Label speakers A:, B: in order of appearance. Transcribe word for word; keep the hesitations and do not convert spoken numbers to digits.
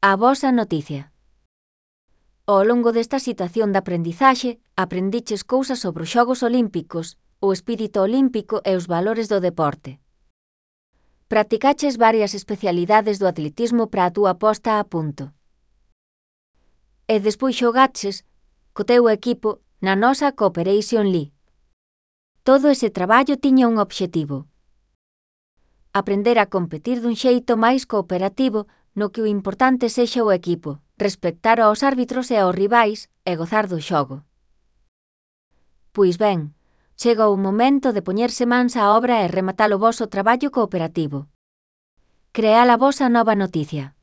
A: A vosa noticia. Ao longo desta situación de aprendizaxe, aprendiches cousas sobre os Xogos Olímpicos, o espírito olímpico e os valores do deporte. Practicaches varias especialidades do atletismo para a túa posta a punto. E despois xogaches, co teu equipo, na nosa Cooperation League. Todo ese traballo tiña un obxectivo. Aprender a competir dun xeito máis cooperativo, no que o importante sexa o equipo, respectar aos árbitros e aos rivais, e gozar do xogo. Pois ben, chega o momento de poñerse mans á obra e rematar o voso traballo cooperativo. Crear a vosa nova noticia.